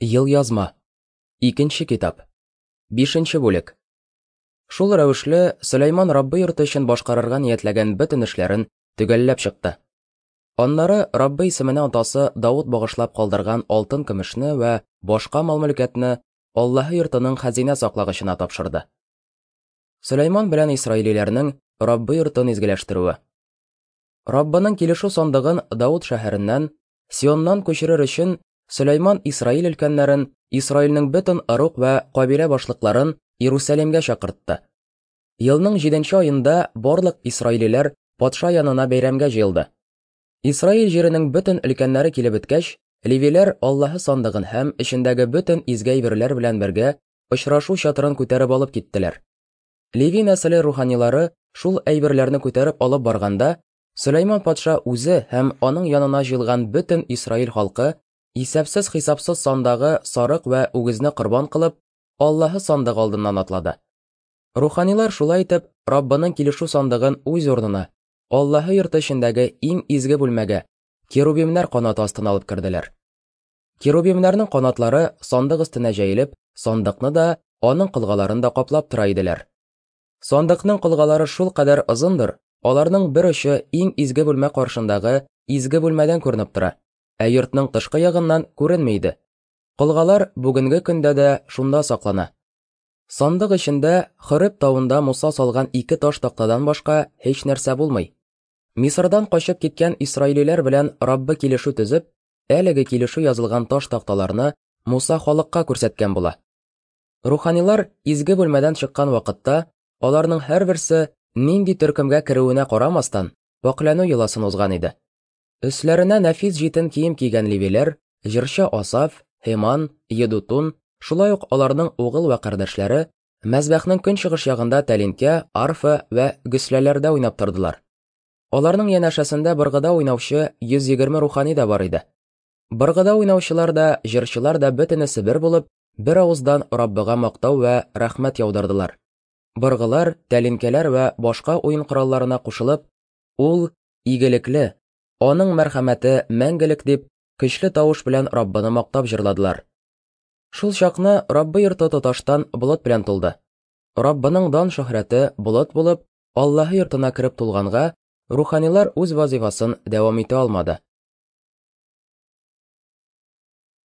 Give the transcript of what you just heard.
Елъязма. Икенче китап. Бишенче бүлек. Шул рәвешле Сөләйман Раббы йорты өчен башкарырга ниятләгән бөтен эшләрен төгәлләп чыкты. Аннары Раббы исеменә атасы Давыт багышлап калдырган алтын-көмешне вә башка мал-мөлкәтне Аллаһы йортының хәзинә саклагычына тапшырды. Сөләйман белән исраилиләрнең Раббы йортын изгеләштерүе. Раббының килешү сандыгын Давыт шәһәреннән, Сионнан күчерер өчен Сөләйман Исраил өлкәннәрен, Исраилнең бөтен ыруг вә кабилә башлыкларын Иерусалимгә чакыртты. Елның җиденче аенда барлык исраилиләр патша янына бәйрәмгә җыелды. Исраил җиренең бөтен өлкәннәре килеп беткәч, левиләр Аллаһы сандыгын һәм эчендәге бөтен изге әйберләр белән бергә очрашу чатырын күтәреп алып киттеләр. Леви нәселе руханилары шул әйберләрне күтәреп алып барганда, Сөләйман патша үзе һәм аның янына җыелган бөтен Исраил халкы исәпсез-хисапсыз сандагы сарык вә үгезне корбан кылып, Аллаһы сандыгы алдыннан атлады. Руханилар шулай итеп Раббының килешү сандыгын үз урынына, Аллаһы йорты эчендәге иң изге бүлмәгә, керубимнәр канаты астына алып керделәр. Керубимнәрнең канатлары сандык өстенә җәелеп, сандыкны да, аның колгаларын да каплап тора иделәр. Сандыкның колгалары шулкадәр озындыр, аларның бер очы иң изге бүлмә каршындагы изге бүлмәдән күренеп тора, ә йортның тышкы ягыннан күренми иде. Колгалар бүгенге көндә дә шунда саклана. Сандык эчендә Хореб тавында Муса салган ике таш тактадан башка һичнәрсә булмый. Мисырдан качып киткән исраилиләр белән Раббы килешү төзеп, әлеге килешү язылган таш такталарны Муса халыкка күрсәткән була. Руханилар изге бүлмәдән чыккан вакытта, аларның һәрберсе, нинди төркемгә керүенә карамастан, пакьләнү йоласын узган иде. Өсләренә нәфис җитен кием кигән левиләр, җырчы Асаф, Һеман, Едутун, шулай ук аларның угыл вә кардәшләре, мәзбәхнең көнчыгыш ягында тәлинкә, арфа вә гөсләләрдә уйнап тордылар. Аларның янәшәсендә быргыда уйнаучы 120 рухани да бар иде. Быргыда уйнаучылар да, җырчылар да бөтенесе бер булып, бер авыздан Раббыга мактау вә рәхмәт яудырдылар. Быргылар, тәлинкәләр вә башка уен коралларына кушылып, Ул игелекле, аның мәрхәмәте мәңгелек дип, көчле тавыш белән Раббыны мактап җырладылар. Шул чакны Раббы йорты тоташтан болыт белән тулды. Раббының дан-шөһрәте болыт булып, Аллаһы йортына кереп тулганга, руханилар үз вазифасын дәвам итә алмады.